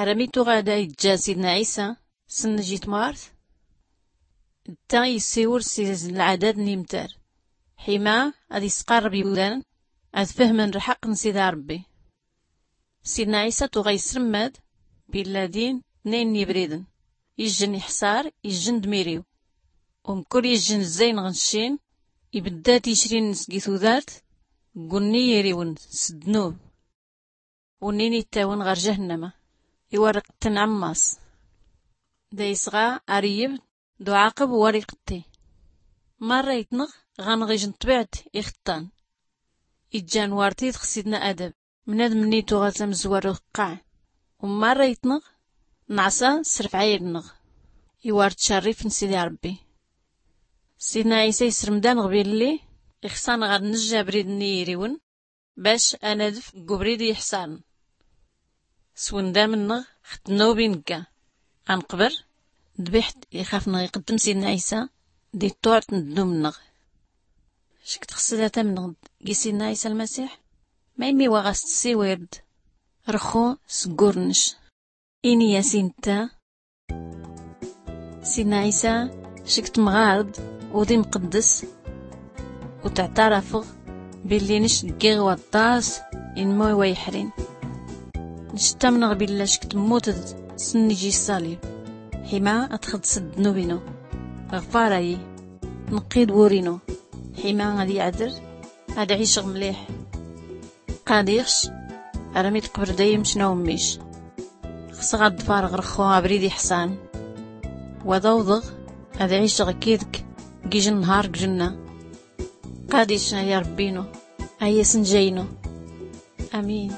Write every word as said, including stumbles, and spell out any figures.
Armi tuɣa da iǧǧa sidna ɛisa s-nn-ijitmart, d-ta yessiwel s-izn lɛadad n-imtar, ḥima ad-isqarreb iwdan ad-fhmn lḥaqq n-sidi ṛebbi. Sidna ɛisa tuɣa isrmmad billa din tnayn n-ibriden, ijjn iḥṣar, ijjn d-miriw. Umkul ijjn zzayn ɣ-nccin, ibdda ticrin-ns g-itudart, gunni iriwn s-ddnub, unnin ittawin ɣar jahnnama, iwarrqttn ɛmmaṣ. Da isɣa ar-iyyb d-uɛaqb war-iqtti. Marra itnɣ ɣanɣ ijn ṭṭbiɛt ixṭṭan. Iǧǧan war-tidɣ sidna adab, mnadm-nni tuɣa tamzwar uqqa. U marra itnɣ nɛṣa s-rfɛayl-nnɣ, iwar-tcarrif n-sidi ṛebbi. Sidna ɛisa isrmd-anɣ billi ixṣa-nɣ ad-nijj abrid-nni iriwn, bac ad-nadf g-ubrid iḥṣarn. S-wndam-nnɣ ɣ-ddnub i-ngga, ad-nqbr dbiḥt ixaf-nɣ-iqddm sidna ɛisa di-ṭṭuɛt n-ddnub-nnɣ. Ckt xsda-tamnɣ g-sidna ɛisa lmasiḥ? Ma immi wa ɣas-tssiwird rxu s-ggurnc, ini-as intta: sidna ɛisa, ckt mɣard udi mqdds, u-tɛtarafɣ billi nc ggiɣ waṭṭas inmw wa-iḥrin. Nc ttamnɣ billa ckt mmutd s-nn-iji ṣṣalib, ḥima ad-txds ddnub-inu, ɣfar-ayi, nqqi-d wur-inu, ḥima ad-iɛdr, ad-ɛicɣ mliḥ. Qadiɣ-c armi d-qbr dayem-c n-awmmic. Xsɣ ad-ḍfarɣ rxu abrid iḥṣan, wad-awḍɣ ad-ɛicɣ kid-k gijn nhar g-jnna. Qadic ay-aṛbbi-inu, ay-asnja-inu. Amin.